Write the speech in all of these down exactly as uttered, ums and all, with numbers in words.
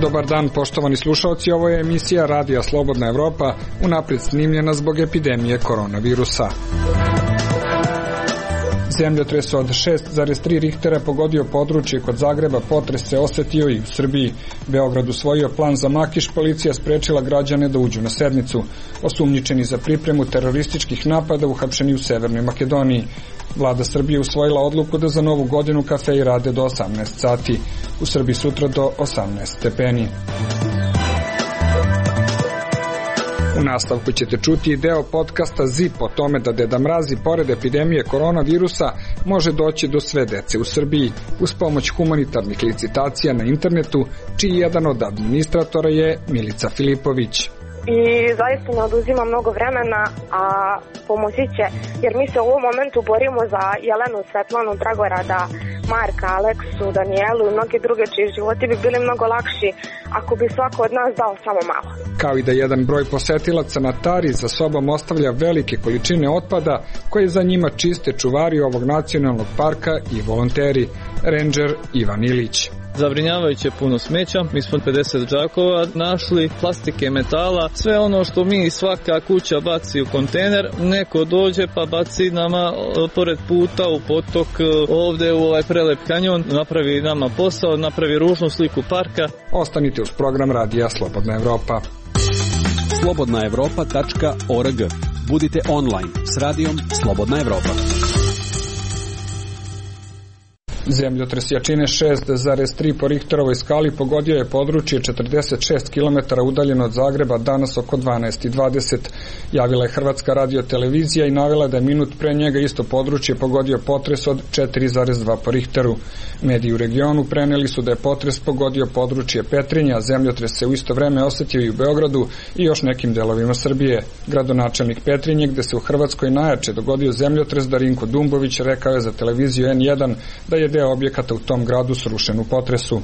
Dobar dan, poštovani slušaoci, ovo je emisija Radija Slobodna Evropa, unaprijed snimljena zbog epidemije koronavirusa. Zemljotres od šest zarez tri Richtera pogodio područje kod Zagreba, potres se osetio i u Srbiji. Beograd usvojio plan za Makiš, policija sprečila građane da uđu na sednicu. Osumnjičeni za pripremu terorističkih napada uhapšeni u Severnoj Makedoniji. Vlada Srbije usvojila odluku da za novu godinu kafeji rade do osamnaest sati. U Srbiji sutra do osamnaest stepeni. U nastavku ćete čuti deo podcasta Zip o tome da Deda Mraz i pored epidemije koronavirusa može doći do sve dece u Srbiji uz pomoć humanitarnih licitacija na internetu, čiji jedan od administratora je Milica Filipović. I zaista ne oduzima mnogo vremena, a pomoći će, jer mi se u ovom momentu borimo za Jelenu, Svetlanu, Dragorada, Marka, Aleksu, Danijelu i mnoge druge čiji životi bi bili mnogo lakši ako bi svako od nas dao samo malo. Kao i da jedan broj posetilaca na Tari za sobom ostavlja velike količine otpada koje za njima čiste čuvari ovog nacionalnog parka i volonteri, rendžer Ivan Ilić. Zabrinjavajuće puno smeća, mi smo pedeset džakova našli, plastike, metala, sve ono što mi svaka kuća baci u kontejner, neko dođe pa baci nama pored puta u potok, ovde u ovaj prelep kanjon, napravi nama posao, napravi ružnu sliku parka. Ostanite uz program Radija Slobodna Evropa. slobodna evropa tačka org. Budite online s radijom Slobodna Evropa. Zemljotres jačine šest zarez tri po Richterovoj skali pogodio je područje četrdeset šest kilometara udaljeno od Zagreba danas oko dvanaest i dvadeset. Javila je Hrvatska radiotelevizija i navela da je minut pre njega isto područje pogodio potres od četiri zarez dva po Richteru. Mediji u regionu preneli su da je potres pogodio područje Petrinja, a zemljotres se u isto vreme osetio i u Beogradu i još nekim delovima Srbije. Gradonačelnik Petrinje, gde se u Hrvatskoj najjače dogodio zemljotres, Darinko Dumbović, rekao je za televiziju en jedan da je deo objekata u tom gradu srušen u potresu.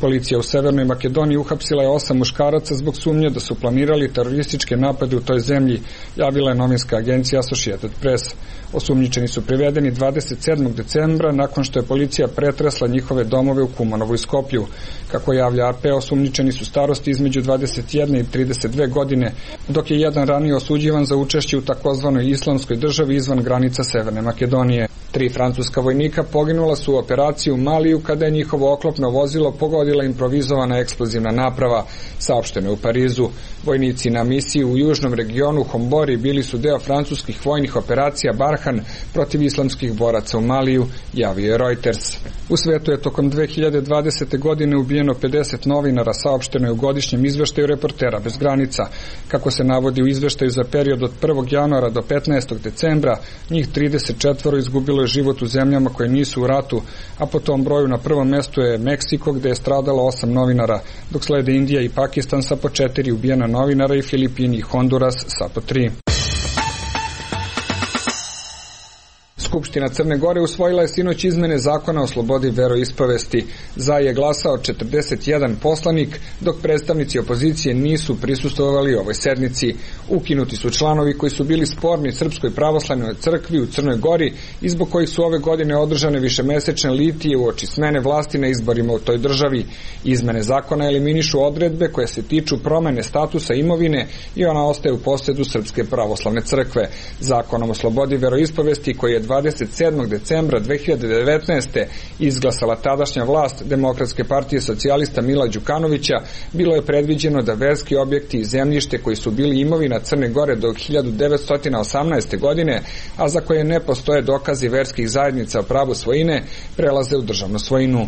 Policija u Severnoj Makedoniji uhapsila je osam muškaraca zbog sumnje da su planirali terorističke napade u toj zemlji, javila je novinska agencija Associated Press. Osumnjičeni su privedeni dvadeset sedmog decembra nakon što je policija pretresla njihove domove u Kumanovu i Skoplju. Kako javlja a pe, osumnjičeni su starosti između dvadeset jedne i trideset dve godine, dok je jedan ranije osuđivan za učešće u takozvanoj islamskoj državi izvan granica Severne Makedonije. Tri francuska vojnika poginula su u operaciji u Maliju kada je njihovo oklopno vozilo pogodila improvizovana eksplozivna naprava, saopšteno u Parizu. Vojnici na misiji u južnom regionu Hombori bili su deo francuskih vojnih operacija Barhan protiv islamskih boraca u Maliju, javio je Reuters. U svetu je tokom dve hiljade dvadesete. godine ubijeno pedeset novinara, saopšteno je u godišnjem izveštaju Reportera bez granica. Kako se navodi u izveštaju za period od prvog januara do petnaestog decembra, njih trideset četvoro izgubilo je život u zemljama koje nisu u ratu, a po tom broju na prvom mestu je Meksiko, gde je stradalo osam novinara, dok slede Indija i Pakistan sa po četiri ubijena novinara i Filipini i Honduras sa po tri. Skupština Crne Gore usvojila je sinoć izmene zakona o slobodi veroispovesti. Za je glasao četrdeset jedan poslanik, dok predstavnici opozicije nisu prisustvovali ovoj sednici. Ukinuti su članovi koji su bili sporni Srpskoj pravoslavnoj crkvi u Crnoj Gori i zbog kojih su ove godine održane višemesečne litije uoči smene vlasti na izborima u toj državi. Izmene zakona eliminišu odredbe koje se tiču promene statusa imovine i ona ostaje u posedu Srpske pravoslavne crkve. Zakonom o slobodi veroispovesti koji je dvadeset sedmog decembra dve hiljade devetnaeste. izglasala tadašnja vlast Demokratske partije socijalista Mila Đukanovića, bilo je predviđeno da verski objekti i zemljište koji su bili imovina Crne Gore do hiljadu devetsto osamnaeste. godine, a za koje ne postoje dokazi verskih zajednica o pravu svojine, prelaze u državnu svojinu.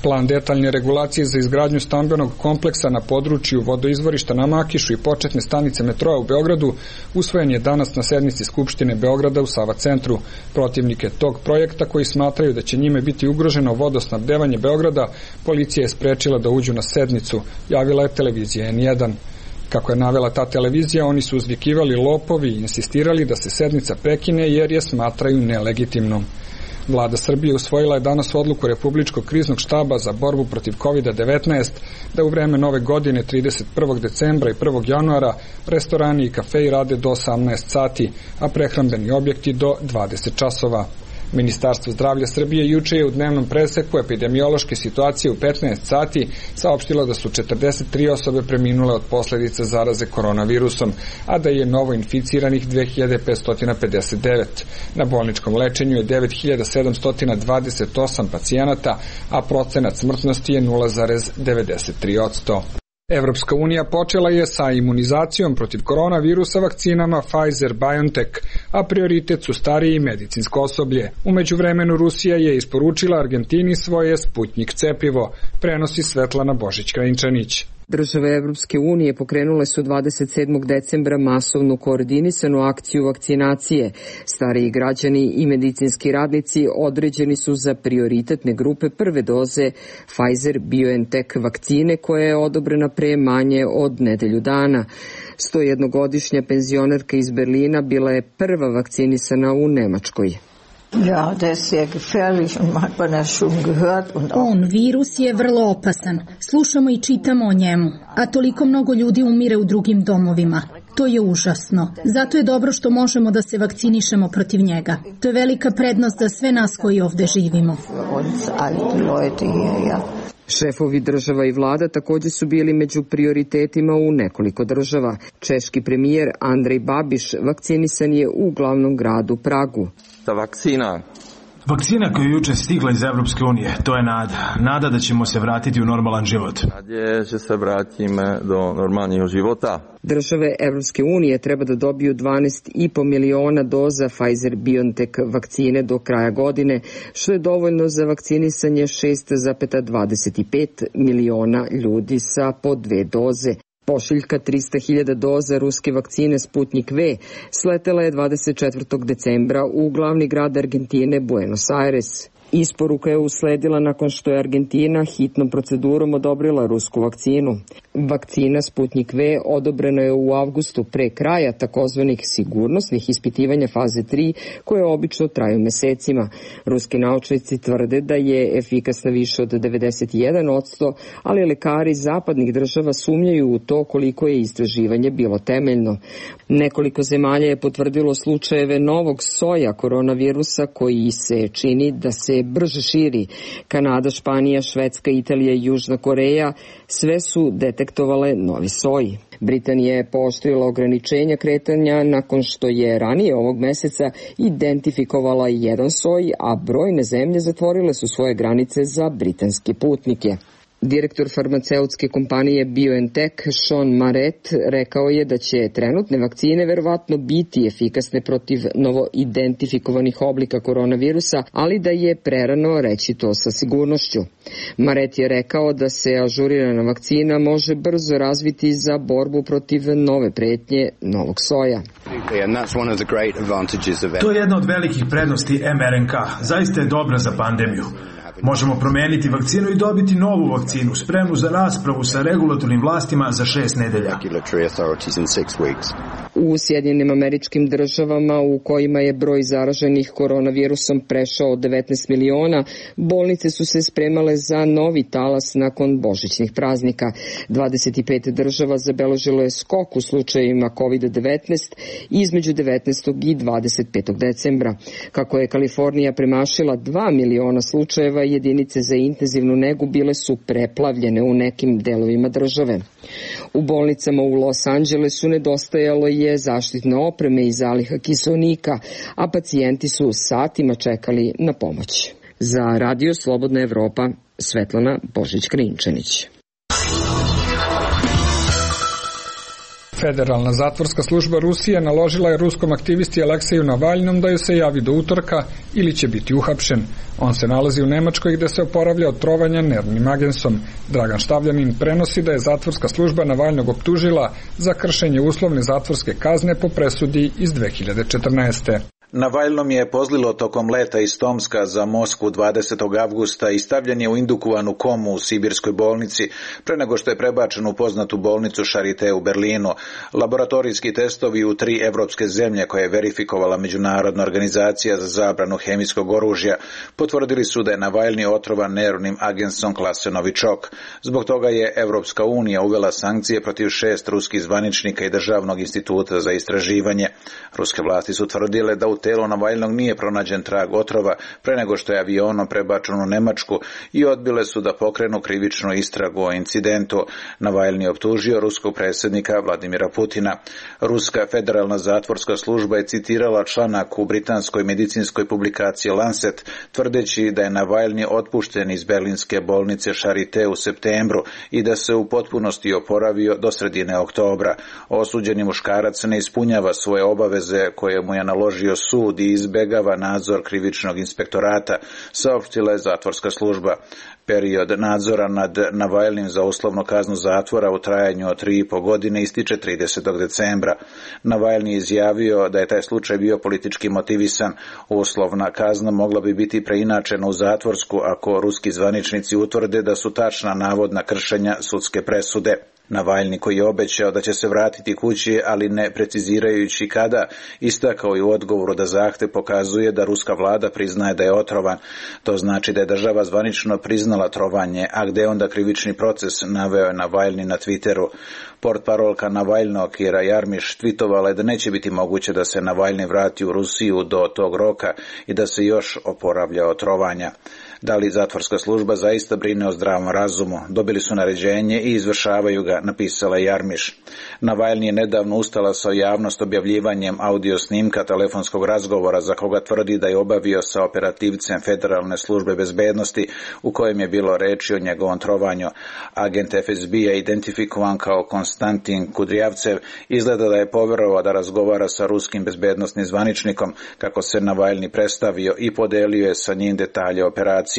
Plan detaljne regulacije za izgradnju stambenog kompleksa na području vodoizvorišta na Makišu i početne stanice metroa u Beogradu usvojen je danas na sednici Skupštine Beograda u Sava centru. Protivnike tog projekta, koji smatraju da će njime biti ugroženo vodosnabdevanje Beograda, policija je sprečila da uđu na sednicu, javila je televizija en jedan. Kako je navela ta televizija, oni su uzvikivali lopovi i insistirali da se sednica prekine jer je smatraju nelegitimnom. Vlada Srbije usvojila je danas odluku Republičkog kriznog štaba za borbu protiv kovid devetnaest da u vreme nove godine trideset prvog decembra i prvog januara restorani i kafeji rade do osamnaest sati, a prehrambeni objekti do dvadeset časova. Ministarstvo zdravlja Srbije juče je u dnevnom preseku epidemiološke situacije u petnaest sati saopštilo da su četrdeset tri osobe preminule od posledica zaraze koronavirusom, a da je novo inficiranih dve hiljade petsto pedeset devet. Na bolničkom lečenju je devet hiljada sedamsto dvadeset osam pacijenata, a procenat smrtnosti je nula zarez devedeset tri posto. Evropska unija počela je sa imunizacijom protiv koronavirusa vakcinama Pfizer-BioNTech, a prioritet su stariji i medicinsko osoblje. U međuvremenu Rusija je isporučila Argentini svoje Sputnjik cepivo, prenosi Svetlana Božić-Krajinčanić. Države Evropske unije pokrenule su dvadeset sedmog decembra masovnu koordinisanu akciju vakcinacije. Stariji građani i medicinski radnici određeni su za prioritetne grupe prve doze Pfizer-BioNTech vakcine koja je odobrena pre manje od nedelju dana. sto jednogodišnja penzionerka iz Berlina bila je prva vakcinisana u Nemačkoj. On, virus, je vrlo opasan. Slušamo i čitamo o njemu, a toliko mnogo ljudi umire u drugim domovima. To je užasno. Zato je dobro što možemo da se vakcinišemo protiv njega. To je velika prednost za sve nas koji ovde živimo. Šefovi država i vlada također su bili među prioritetima u nekoliko država. Češki premijer Andrej Babiš vakcinisan je u glavnom gradu Pragu. Ta vakcina Vakcina koja je juče stigla iz Evropske unije, to je nada. Nada da ćemo se vratiti u normalan život. Nadje, že se vratimo do normalnog života. Države Evropske unije treba da dobiju dvanaest i po miliona doza Pfizer-BioNTech vakcine do kraja godine, što je dovoljno za vakcinisanje šest zarez dvadeset pet miliona ljudi sa po dve doze. Pošiljka trista hiljada doza ruske vakcine Sputnjik V sletela je dvadeset četvrtog decembra u glavni grad Argentine Buenos Aires. Isporuka je usledila nakon što je Argentina hitnom procedurom odobrila rusku vakcinu. Vakcina Sputnjik V odobrena je u avgustu pre kraja takozvanih sigurnosnih ispitivanja faze tri, koje obično traju mesecima. Ruski naučnici tvrde da je efikasna više od devedeset jedan posto, ali lekari zapadnih država sumnjaju u to koliko je istraživanje bilo temeljno. Nekoliko zemalja je potvrdilo slučajeve novog soja koronavirusa koji se čini da se brže širi. Kanada, Španija, Švedska, Italija i Južna Koreja sve su detektovale novi soj. Britanija je pooštrila ograničenja kretanja nakon što je ranije ovog meseca identifikovala jedan soj, a brojne zemlje zatvorile su svoje granice za britanske putnike. Direktor farmaceutske kompanije BioNTech Sean Maret rekao je da će trenutne vakcine verovatno biti efikasne protiv novo identifikovanih oblika koronavirusa, ali da je prerano reći to sa sigurnošću. Maret je rekao da se ažurirana vakcina može brzo razviti za borbu protiv nove pretnje novog soja. To je jedna od velikih prednosti em er en ka. Zaista je dobra za pandemiju. Možemo promeniti vakcinu i dobiti novu vakcinu, spremnu za raspravu sa regulatornim vlastima za šest nedelja. U Sjedinjenim Američkim Državama, u kojima je broj zaraženih koronavirusom prešao od devetnaest miliona, bolnice su se spremale za novi talas nakon božićnih praznika. dvadeset pet država zabeležilo je skok u slučajevima kovid devetnaest između devetnaestog i dvadeset petog decembra. Kako je Kalifornija premašila dva miliona slučajeva, jedinice za intenzivnu negu bile su preplavljene u nekim delovima države. U bolnicama u Los Angelesu nedostajalo je zaštitne opreme i zaliha kiseonika, a pacijenti su satima čekali na pomoć. Za Radio Slobodna Evropa, Svetlana Božić-Krajinčanić. Federalna zatvorska služba Rusije naložila je ruskom aktivisti Alekseju Navalnom da ju se javi do utorka ili će biti uhapšen. On se nalazi u Nemačkoj gde se oporavlja od trovanja nervnim agensom. Dragan Štavljanin prenosi da je zatvorska služba Navalnog optužila za kršenje uslovne zatvorske kazne po presudi iz dve hiljade četrnaeste. Navaljnom je pozlilo tokom leta iz Tomska za Moskvu dvadesetog avgusta i stavljen je u indukovanu komu u sibirskoj bolnici pre nego što je prebačen u poznatu bolnicu Charité u Berlinu. Laboratorijski testovi u tri evropske zemlje koje je verifikovala Međunarodna organizacija za zabranu hemijskog oružja potvrdili su da je Navaljni otrovan nervnim agensom klase Novičok. Zbog toga je Evropska unija uvela sankcije protiv šest ruskih zvaničnika i Državnog instituta za istraživanje. Ruske vlasti su tvrdile da u telo Navaljnog nije pronađen trag otrova pre nego što je avionom prebačen u Nemačku i odbile su da pokrenu krivičnu istragu o incidentu. Navaljni optužio ruskog predsjednika Vladimira Putina. Ruska federalna zatvorska služba je citirala članak u britanskoj medicinskoj publikaciji Lancet, tvrdeći da je Navaljni otpušten iz berlinske bolnice Charité u septembru i da se u potpunosti oporavio do sredine oktobra. Osuđeni muškarac ne ispunjava svoje obaveze koje mu je naložio sud i izbegava nadzor krivičnog inspektorata, saopštila je zatvorska služba. Period nadzora nad Navaljnim za uslovnu kaznu zatvora u trajanju od tri i po godine ističe tridesetog decembra. Navaljni je izjavio da je taj slučaj bio politički motivisan. Uslovna kazna mogla bi biti preinačena u zatvorsku ako ruski zvaničnici utvrde da su tačna navodna kršenja sudske presude. Navaljni, koji je obećao da će se vratiti kući, ali ne precizirajući kada, istakao je u odgovoru da zahtev pokazuje da ruska vlada priznaje da je otrovan. To znači da je država zvanično priznala trovanje, a gde onda krivični proces, naveo je Navaljni na Twitteru. Portparolka Navaljnog Kira Jarmiš tvitovala je da neće biti moguće da se Navaljni vrati u Rusiju do tog roka i da se još oporavlja od trovanja. Da li zatvorska služba zaista brine o zdravom razumu? Dobili su naređenje i izvršavaju ga, napisala Jarmiš. Navaljni je nedavno ustala sa javnost objavljivanjem audio snimka telefonskog razgovora za koga tvrdi da je obavio sa operativcem Federalne službe bezbednosti u kojem je bilo reči o njegovom trovanju. Agent F S B-a identifikovan kao Konstantin Kudrijavcev izgleda da je poverovao da razgovara sa ruskim bezbednosnim zvaničnikom, kako se Navaljni predstavio i podelio je sa njim detalje operacije.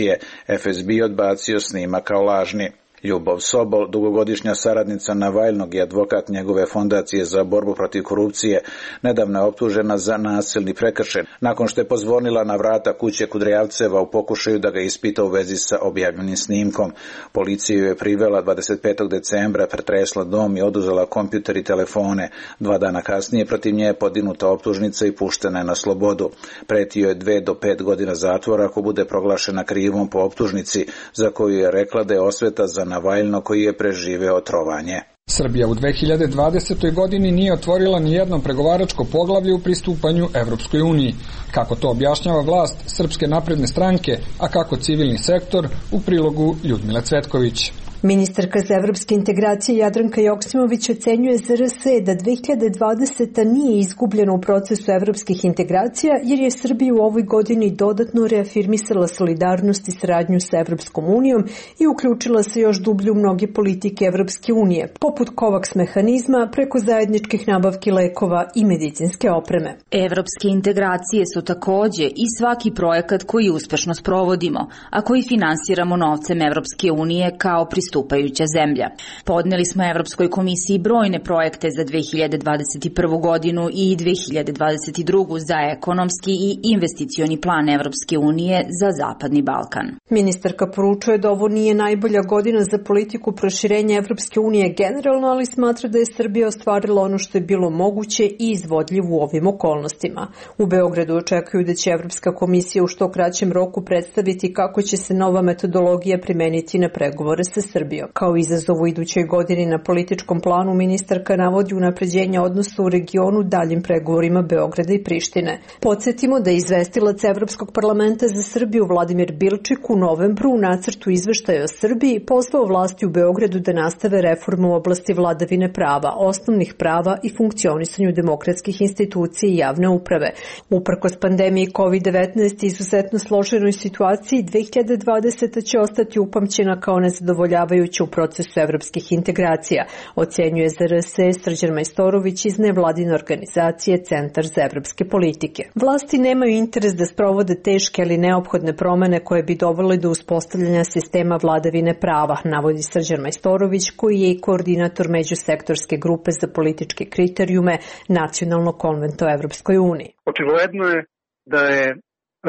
F S B odbacio snimak kao lažni. Ljubov Sobol, dugogodišnja saradnica Navaljnog i advokat njegove fondacije za borbu protiv korupcije, nedavno je optužena za nasilni prekršaj, nakon što je pozvonila na vrata kuće Kudrijavceva u pokušaju da ga ispita u vezi sa objavljenim snimkom. Policija je privela dvadeset petog decembra, pretresla dom i oduzela kompjuter i telefone. Dva dana kasnije protiv nje je podignuta optužnica i puštena je na slobodu. Pretio je dve do pet godina zatvora ako bude proglašena krivom po optužnici, za koju je rekla da je osveta za Navaljno koji je preživeo trovanje. Srbija u dve hiljade dvadesetoj godini nije otvorila ni jedno pregovaračko poglavlje u pristupanju Evropskoj uniji. Kako to objašnjava vlast Srpske napredne stranke, a kako civilni sektor, u prilogu Ljudmile Cvetković. Ministarka za evropske integracije Jadranka Joksimović ocenjuje za R S da dve hiljade dvadeseta nije izgubljena u procesu evropskih integracija jer je Srbija u ovoj godini dodatno reafirmisala solidarnost i saradnju sa Evropskom unijom i uključila se još dublje u mnoge politike Evropske unije, poput COVAX mehanizma preko zajedničkih nabavki lekova i medicinske opreme. Evropske integracije su takođe i svaki projekat koji uspešno sprovodimo, a koji finansiramo novcem Evropske unije kao pristupajuća zemlja. Podneli smo Evropskoj komisiji brojne projekte za dve hiljade dvadeset prvu godinu i dve hiljade dvadeset drugu za ekonomski i investicioni plan Evropske unije za Zapadni Balkan. Ministarka poručuje da ovo nije najbolja godina za politiku proširenja Evropske unije generalno, ali smatra da je Srbija ostvarila ono što je bilo moguće i izvodljivo u ovim okolnostima. U Beogradu očekuju da će Evropska komisija u što kraćem roku predstaviti kako će se nova metodologija primeniti na pregovore sa Srbijom. Kao izazov u idućoj godini na političkom planu ministarka navodi unapređenje odnosa u regionu daljim pregovorima Beograda i Prištine. Podsjetimo da je izvestilac Evropskog parlamenta za Srbiju Vladimir Bilčik u novembru u nacrtu izveštaja o Srbiji pozvao vlasti u Beogradu da nastave reformu u oblasti vladavine prava, osnovnih prava i funkcionisanju demokratskih institucija i javne uprave. Uprkos pandemiji kovid devetnaest i izuzetno složenoj situaciji, dve hiljade dvadeseta će ostati upamćena kao nezadovoljavajuća u procesu evropskih integracija, ocenjuje za R S Srđan Majstorović iz nevladine organizacije Centar za evropske politike. Vlasti nemaju interes da sprovode teške ali neophodne promene koje bi dovele do uspostavljanja sistema vladavine prava, navodi Srđan Majstorović, koji je i koordinator međusektorske grupe za političke kriterijume Nacionalnog konventa o Evropskoj uniji. Očigledno je da je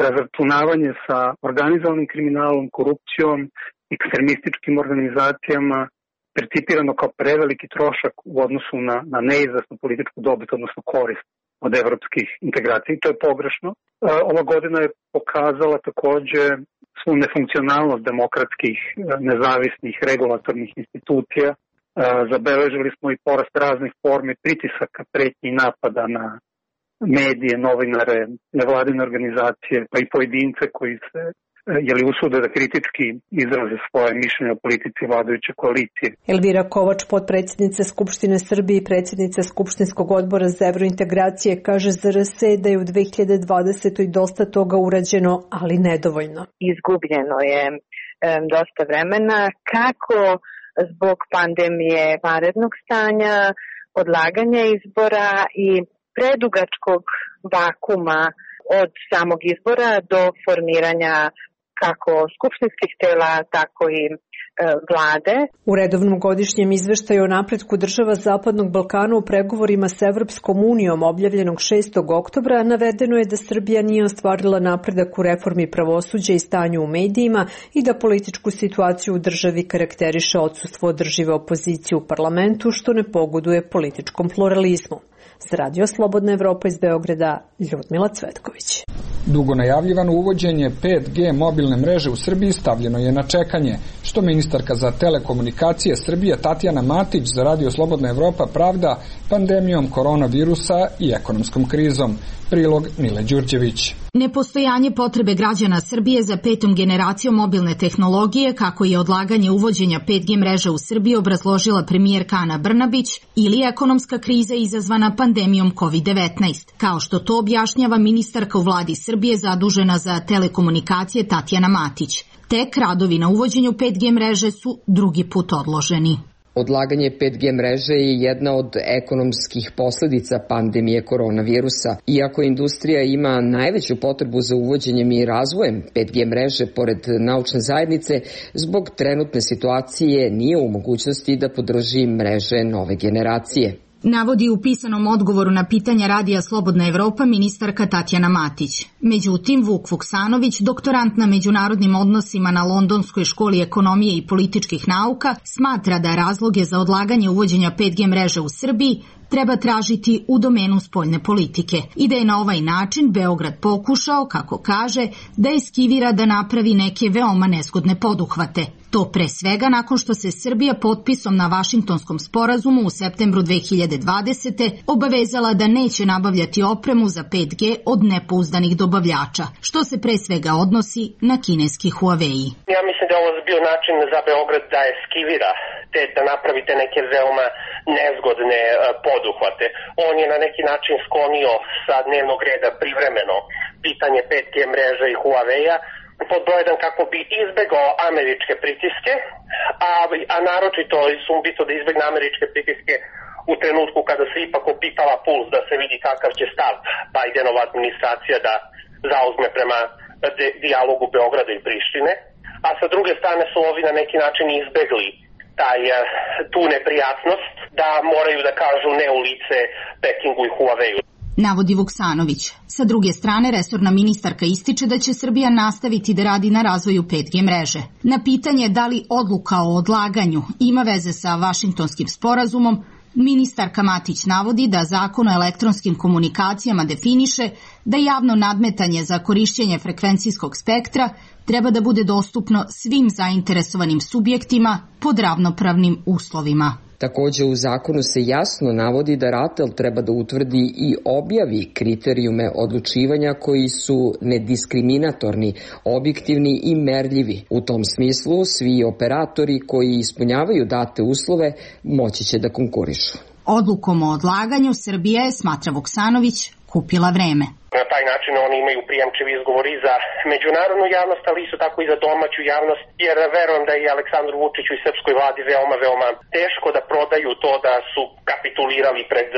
razračunavanje sa organizovanim kriminalom, korupcijom, ekstremističkim organizacijama percipirano kao preveliki trošak u odnosu na, na neizvesnu političku dobit, odnosno korist od evropskih integracija. I to je pogrešno. Ova godina je pokazala takođe svu nefunkcionalnost demokratskih, nezavisnih, regulatornih institucija. Zabeležili smo i porast raznih formi pritisaka, pretnji i napada na medije, novinare, nevladine organizacije, pa i pojedince koji se jeli usude da kritički izraze svoje mišljenje o politici vladajuće koalicije. Elvira Kovač, potpredsjednica Skupštine Srbije i predsjednica Skupštinskog odbora za evrointegracije, kaže za R S da je u dve hiljade dvadesetoj dosta toga urađeno, ali nedovoljno. Izgubljeno je um, dosta vremena, kako zbog pandemije vanrednog stanja, odlaganja izbora i predugačkog vakuma od samog izbora do formiranja kako skupštinskih tela, tako i e, vlade. U redovnom godišnjem izveštaju o napretku država Zapadnog Balkana u pregovorima sa Evropskom unijom objavljenog šestog oktobra navedeno je da Srbija nije ostvarila napredak u reformi pravosuđa i stanju u medijima i da političku situaciju u državi karakteriše odsustvo održive opozicije u parlamentu, što ne pogoduje političkom pluralizmu. Za Radio Slobodna Evropa iz Beograda, Ljudmila Cvetković. Dugo najavljivano uvođenje pet G mobilne mreže u Srbiji stavljeno je na čekanje, što ministarka za telekomunikacije Srbije Tatjana Matić za Radio Slobodna Evropa pravda pandemijom koronavirusa i ekonomskom krizom. Prilog Mile Đurđević. Nepostojanje potrebe građana Srbije za petom generacijom mobilne tehnologije, kako je odlaganje uvođenja pet G mreže u Srbiji obrazložila premijerka Ana Brnabić, ili ekonomska kriza izazvana pandemijom kovid devetnaest, kao što to objašnjava ministarka u vladi Srbije zadužena za telekomunikacije Tatjana Matić. Tek radovi na uvođenju pet G mreže su drugi put odloženi. Odlaganje pet G mreže je jedna od ekonomskih posledica pandemije koronavirusa. Iako industrija ima najveću potrebu za uvođenjem i razvojem pet G mreže pored naučne zajednice, zbog trenutne situacije nije u mogućnosti da podrži mreže nove generacije. Navodi u pisanom odgovoru na pitanja Radija Slobodna Evropa ministarka Tatjana Matić. Međutim, Vuk Vuksanović, doktorant na međunarodnim odnosima na Londonskoj školi ekonomije i političkih nauka, smatra da razloge za odlaganje uvođenja pet G mreže u Srbiji treba tražiti u domenu spoljne politike i da je na ovaj način Beograd pokušao, kako kaže, da eskivira da napravi neke veoma nezgodne poduhvate. To pre svega nakon što se Srbija potpisom na Vašingtonskom sporazumu u septembru dve hiljade dvadesete. obavezala da neće nabavljati opremu za pet G od nepouzdanih dobavljača, što se pre svega odnosi na kineski Huawei. Ja mislim da je ovo bio način za Beograd da eskivira, te da napravite neke veoma nezgodne poduhvate. On je na neki način sklonio sa dnevnog reda privremeno pitanje pet G mreže i Huawei-a, pod broj jedan kako bi izbegao američke pritiske, a, a naročito sumbito da izbegne američke pritiske u trenutku kada se ipak opipala puls da se vidi kakav će stav Bidenova administracija da zauzme prema de, dijalogu Beograda i Prištine, a sa druge strane su ovi na neki način izbegli taj, tu neprijatnost da moraju da kažu ne u lice Pekingu i Huawei-u. Navodi Vuksanović. Sa druge strane, resorna ministarka ističe da će Srbija nastaviti da radi na razvoju pet G mreže. Na pitanje da li odluka o odlaganju ima veze sa Vašingtonskim sporazumom, ministarka Matić navodi da Zakon o elektronskim komunikacijama definiše da javno nadmetanje za korišćenje frekvencijskog spektra treba da bude dostupno svim zainteresovanim subjektima pod ravnopravnim uslovima. Takođe u zakonu se jasno navodi da RATEL treba da utvrdi i objavi kriterijume odlučivanja koji su nediskriminatorni, objektivni i merljivi. U tom smislu svi operatori koji ispunjavaju date uslove moći će da konkurišu. Odlukom o odlaganju Srbija je, smatra Vuksanović, kupila vreme. Na taj način oni imaju prijemčiv izgovor i za međunarodnu javnost, ali isto tako i za domaću javnost, jer verujem da i Aleksandru Vučiću i srpskoj vladi veoma, veoma teško da prodaju to da su kapitulirali pred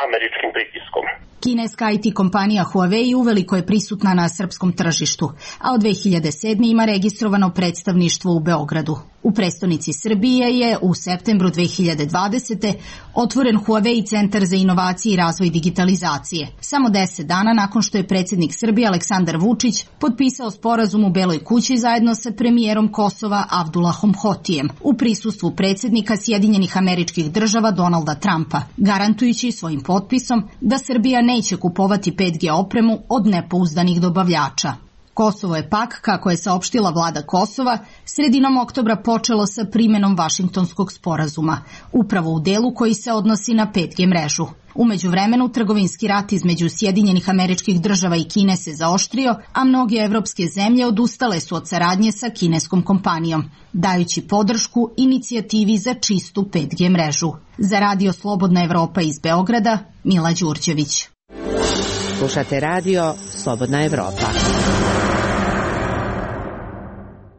američkim pritiskom. Kineska I T kompanija Huawei uveliko je prisutna na srpskom tržištu, a od dve hiljade sedme. ima registrovano predstavništvo u Beogradu. U prestonici Srbije je u septembru dve hiljade dvadesete. otvoren Huawei centar za inovacije i razvoj digitalizacije. Samo deset dana nakon što je predsjednik Srbije Aleksandar Vučić potpisao sporazum u Beloj kući zajedno sa premijerom Kosova Abdullahom Hotijem u prisustvu predsjednika Sjedinjenih Američkih Država Donalda Trumpa, garantujući svojim potpisom da Srbija neće kupovati pet G opremu od nepouzdanih dobavljača. Kosovo je pak, kako je saopštila vlada Kosova, sredinom oktobra počelo sa primjenom Vašingtonskog sporazuma, upravo u delu koji se odnosi na pet G mrežu. U međuvremenu, trgovinski rat između Sjedinjenih Američkih Država i Kine se zaoštrio, a mnoge evropske zemlje odustale su od saradnje sa kineskom kompanijom, dajući podršku inicijativi za čistu pet G mrežu. Za Radio Slobodna Evropa iz Beograda, Mila Đurđević. Slušate radio Slobodna Evropa.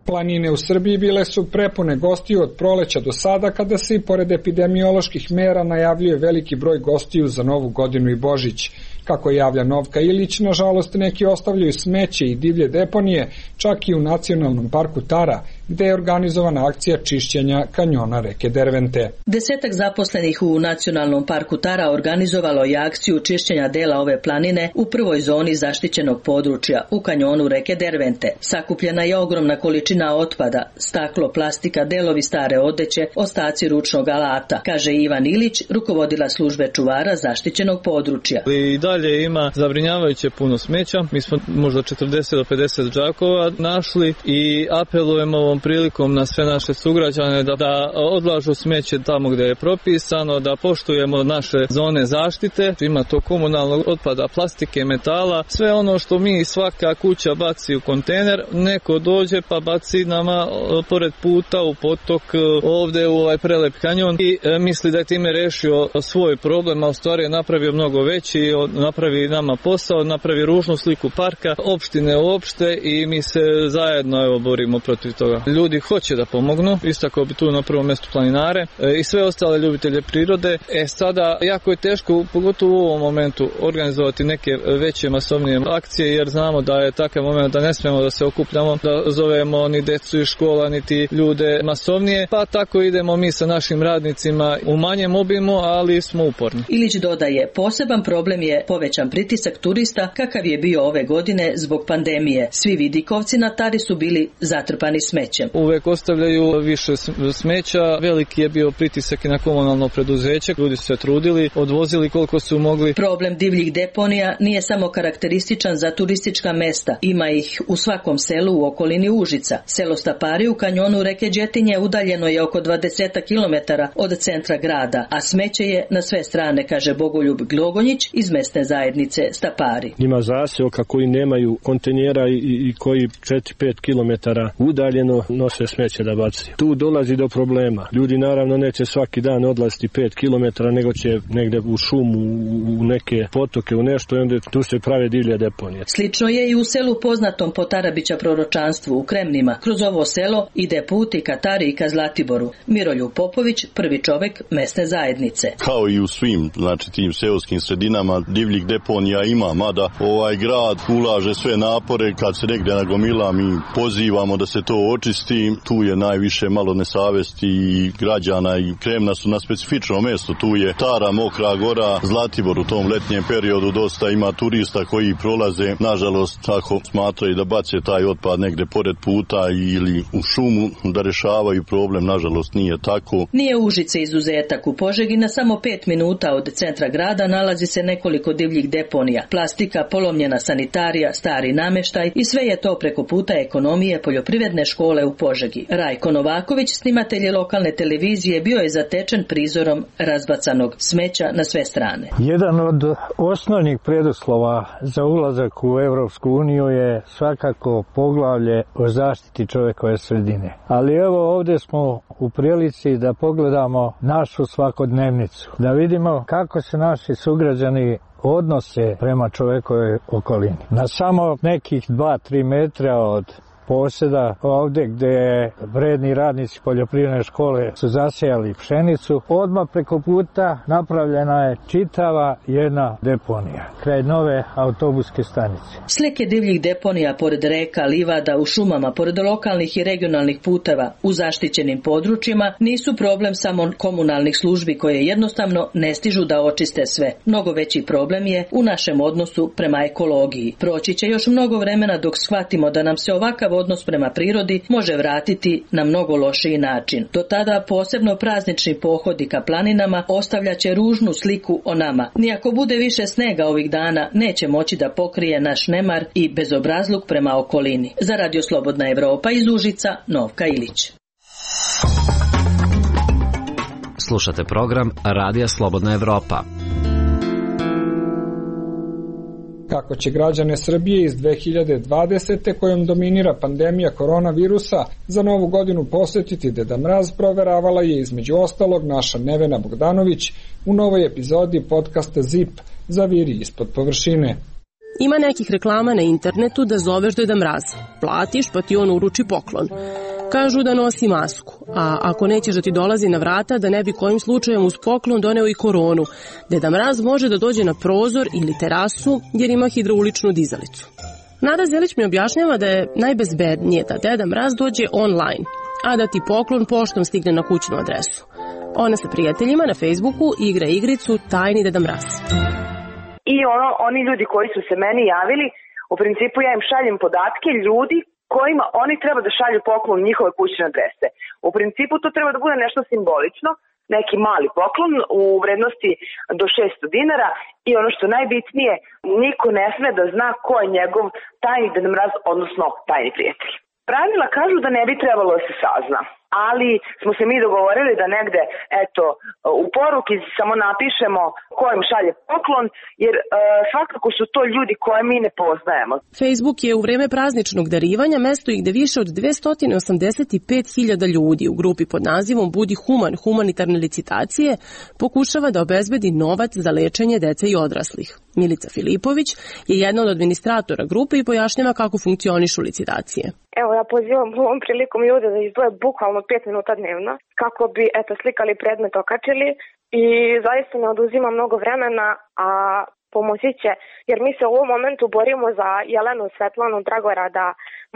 Planine u Srbiji bile su prepune gostiju od proleća do sada, kada se i pored epidemioloških mera najavljuje veliki broj gostiju za Novu godinu i Božić. Kako javlja Novka Ilić, nažalost neki ostavljaju smeće i divlje deponije, čak i u Nacionalnom parku Tara, gde je organizovana akcija čišćenja kanjona reke Dervente. Desetak zaposlenih u Nacionalnom parku Tara organizovalo je akciju čišćenja dela ove planine u prvoj zoni zaštićenog područja, u kanjonu reke Dervente. Sakupljena je ogromna količina otpada, staklo, plastika, delovi stare odeće, ostaci ručnog alata, kaže Ivan Ilić, rukovodila službe čuvara zaštićenog područja. I dalje ima zabrinjavajuće puno smeća. Mi smo možda četrdeset do pedeset džakova našli i apelujemo ovom prilikom na sve naše sugrađane da, da odlažu smeće tamo gdje je propisano, da poštujemo naše zone zaštite. Ima to komunalnog otpada, plastike, metala, sve ono što mi svaka kuća baci u kontejner, neko dođe pa baci nama pored puta u potok, ovdje u ovaj prelep kanjon i e, misli da je time rešio svoj problem, a u stvari je napravio mnogo veći, napravi nama posao, napravi ružnu sliku parka, opštine uopšte i mi se zajedno evo borimo protiv toga. Ljudi hoće da pomognu, istako bi tu na prvom mjestu planinare e, i sve ostale ljubitelje prirode. E sada, jako je teško, pogotovo u ovom momentu, organizovati neke veće masovnije akcije, jer znamo da je takav moment da ne smemo da se okupljamo, da zovemo ni decu iz škola, niti ljude masovnije, pa tako idemo mi sa našim radnicima u manjem obimu, ali smo uporni. Ilić dodaje, poseban problem je povećan pritisak turista kakav je bio ove godine zbog pandemije. Svi vidikovci na Tari su bili zatrpani smećem. Uvek ostavljaju više smeća, veliki je bio pritisak i na komunalno preduzeće, ljudi su se trudili, odvozili koliko su mogli. Problem divljih deponija nije samo karakterističan za turistička mesta, ima ih u svakom selu u okolini Užica. Selo Stapari u kanjonu reke Đetinje udaljeno je oko dvadeset kilometara od centra grada, a smeće je na sve strane, kaže Bogoljub Glogonjić iz mesne zajednice Stapari. Ima zaseoka koji nemaju kontejnera i, i koji četiri do pet kilometara udaljeno nose smeće da baci. Tu dolazi do problema. Ljudi naravno neće svaki dan odlaziti pet kilometara, nego će negde u šumu, u neke potoke, u nešto i onda tu se prave divlje deponije. Slično je i u selu poznatom po Tarabića proročanstvu u Kremnima. Kroz ovo selo ide put i ka Tari i ka Zlatiboru. Miroljub Popović, prvi čovek mesne zajednice. Kao i u svim, znači tim seoskim sredinama divljih deponija ima, mada ovaj grad ulaže sve napore kad se negde nagomila, mi pozivamo da se to očisti. Tu je najviše malo nesavesti i građana i Kremna su na specifičnom mjestu. Tu je Tara, Mokra Gora, Zlatibor u tom letnjem periodu dosta ima turista koji prolaze, nažalost tako smatraju da bace taj otpad negde pored puta ili u šumu da rešavaju problem, nažalost nije tako. Nije Užice izuzetak. U Požegi na samo pet minuta od centra grada nalazi se nekoliko divljih deponija. Plastika, polomljena sanitarija, stari nameštaj i sve je to preko puta ekonomije poljoprivredne škole u Požegi. Rajko Novaković, snimatelj lokalne televizije, bio je zatečen prizorom razbacanog smeća na sve strane. Jedan od osnovnih preduslova za ulazak u Evropsku uniju je svakako poglavlje o zaštiti čovekove sredine. Ali evo ovdje smo u prilici da pogledamo našu svakodnevnicu, da vidimo kako se naši sugrađani odnose prema čovekove okolini. Na samo nekih dva do tri metra od poseda ovde gde vredni radnici poljoprivredne škole su zasejali pšenicu. Odmah preko puta napravljena je čitava jedna deponija kraj nove autobuske stanice. Slike divljih deponija pored reka, livada, u šumama, pored lokalnih i regionalnih puteva, u zaštićenim područjima nisu problem samo komunalnih službi koje jednostavno ne stižu da očiste sve. Mnogo veći problem je u našem odnosu prema ekologiji. Proći će još mnogo vremena dok shvatimo da nam se ovakav odnos prema prirodi može vratiti na mnogo lošiji način. Do tada posebno praznični pohodi ka planinama ostavljaće ružnu sliku o nama. Nijako bude više snega ovih dana, neće moći da pokrije naš nemar i bezobrazluk prema okolini. Za Radio Slobodna Evropa iz Užica, Novka Ilić. Slušate program Radija Slobodna Evropa. Kako će građane Srbije iz dve hiljade dvadesete kojom dominira pandemija koronavirusa za novu godinu posjetiti Deda Mraz, proveravala je između ostalog naša Nevena Bogdanović u novoj epizodi podcasta Zip Zaviri ispod površine. Ima nekih reklama na internetu da zoveš Deda Mraz. Platiš pa ti on uruči poklon. Kažu da nosi masku, a ako nećeš da ti dolazi na vrata, da ne bi kojim slučajem uz poklon doneo i koronu, Deda Mraz može da dođe na prozor ili terasu jer ima hidrauličnu dizalicu. Nada Zelić mi objašnjava da je najbezbednije da Deda Mraz dođe online, a da ti poklon poštom stigne na kućnu adresu. Ona sa prijateljima na Facebooku igra igricu Tajni Deda Mraz. I ono, oni ljudi koji su se meni javili, u principu ja im šaljem podatke ljudi kojima oni treba da šalju poklon njihove kućne adrese. U principu to treba da bude nešto simbolično, neki mali poklon u vrednosti do šesto dinara i ono što najbitnije, niko ne sme da zna ko je njegov tajni Deda Mraz, odnosno tajni prijatelj. Pravila kažu da ne bi trebalo da se sazna, ali smo se mi dogovorili da negde, eto, u poruki samo napišemo ko im šalje poklon, jer e, svakako su to ljudi koje mi ne poznajemo. Facebook je u vreme prazničnog darivanja mesto i gde više od dvesta osamdeset pet hiljada ljudi u grupi pod nazivom Budi human, humanitarne licitacije pokušava da obezbedi novac za lečenje dece i odraslih. Milica Filipović je jedna od administratora grupe i pojašnjava kako funkcionišu licitacije. Evo, ja pozivam ovom prilikom ljude da izdvoje bukvalno pet minuta dnevno kako bi, eto, slikali predmet, okačili i zaista ne oduzima mnogo vremena, a pomoći će, jer mi se u ovom momentu borimo za Jelenu, Svetlanu, Dragorada,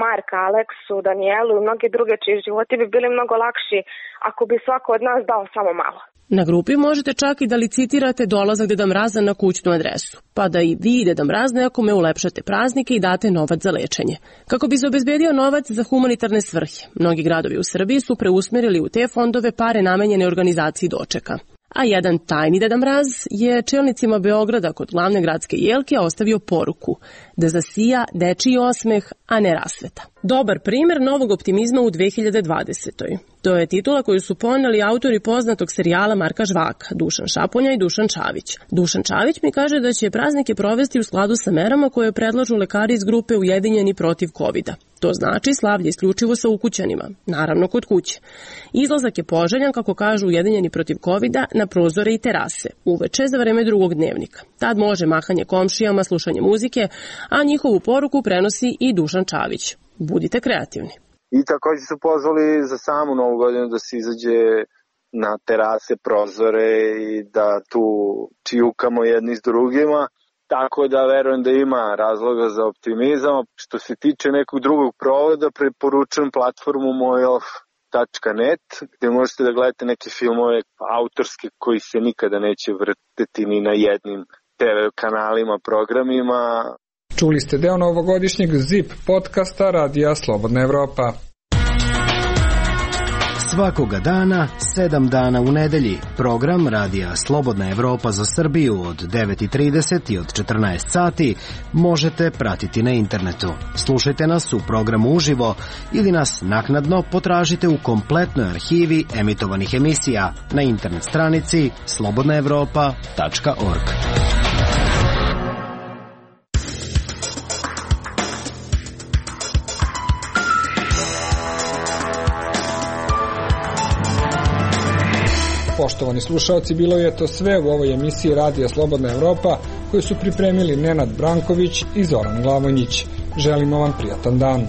Marka, Aleksu, Danijelu i mnoge druge čiji životi bi bili mnogo lakši ako bi svako od nas dao samo malo. Na grupi možete čak i da licitirate dolazak Deda Mraza na kućnu adresu, pa da i vi, Deda Mraz, nekome ulepšate praznike i date novac za lečenje. Kako bi se obezbedio novac za humanitarne svrhe, mnogi gradovi u Srbiji su preusmerili u te fondove pare namenjene organizaciji dočeka. A jedan tajni Deda Mraz je čelnicima Beograda kod glavne gradske jelke ostavio poruku da zasija dečiji osmeh, a ne rasveta. Dobar primer novog optimizma u dve hiljade dvadesetoj. To je titula koju su poneli autori poznatog serijala Marka Žvaka, Dušan Šaponja i Dušan Čavić. Dušan Čavić mi kaže da će praznike provesti u skladu sa merama koje predlažu lekari iz grupe Ujedinjeni protiv kovida. To znači slavlje isključivo sa ukućanima, naravno kod kuće. Izlazak je poželjan, kako kažu Ujedinjeni protiv kovida, na prozore i terase, uveče za vreme drugog dnevnika. Tad može mahanje komšijama, slušanje muzike, a njihovu poruku prenosi i Dušan Čavić. Budite kreativni. I također su pozvali za samu novu godinu da se izađe na terase, prozore i da tu čijukamo jedni s drugima. Tako da verujem da ima razloga za optimizam. Što se tiče nekog drugog provoda, preporučujem platformu mojov tačka net gde možete da gledate neke filmove autorske koji se nikada neće vrteti ni na jednim te ve kanalima, programima. Čuli ste deo novogodišnjeg Zip podcasta Radija Slobodna Evropa. Svakoga dana, sedam dana u nedelji, program Radija Slobodna Evropa za Srbiju od devet i trideset i od četrnaest sati možete pratiti na internetu. Slušajte nas u programu uživo ili nas naknadno potražite u kompletnoj arhivi emitovanih emisija na internet stranici slobodna evropa tačka org. Poštovani slušalci, bilo je to sve u ovoj emisiji Radija Slobodna Evropa koju su pripremili Nenad Branković i Zoran Glavonjić. Želimo vam prijatan dan.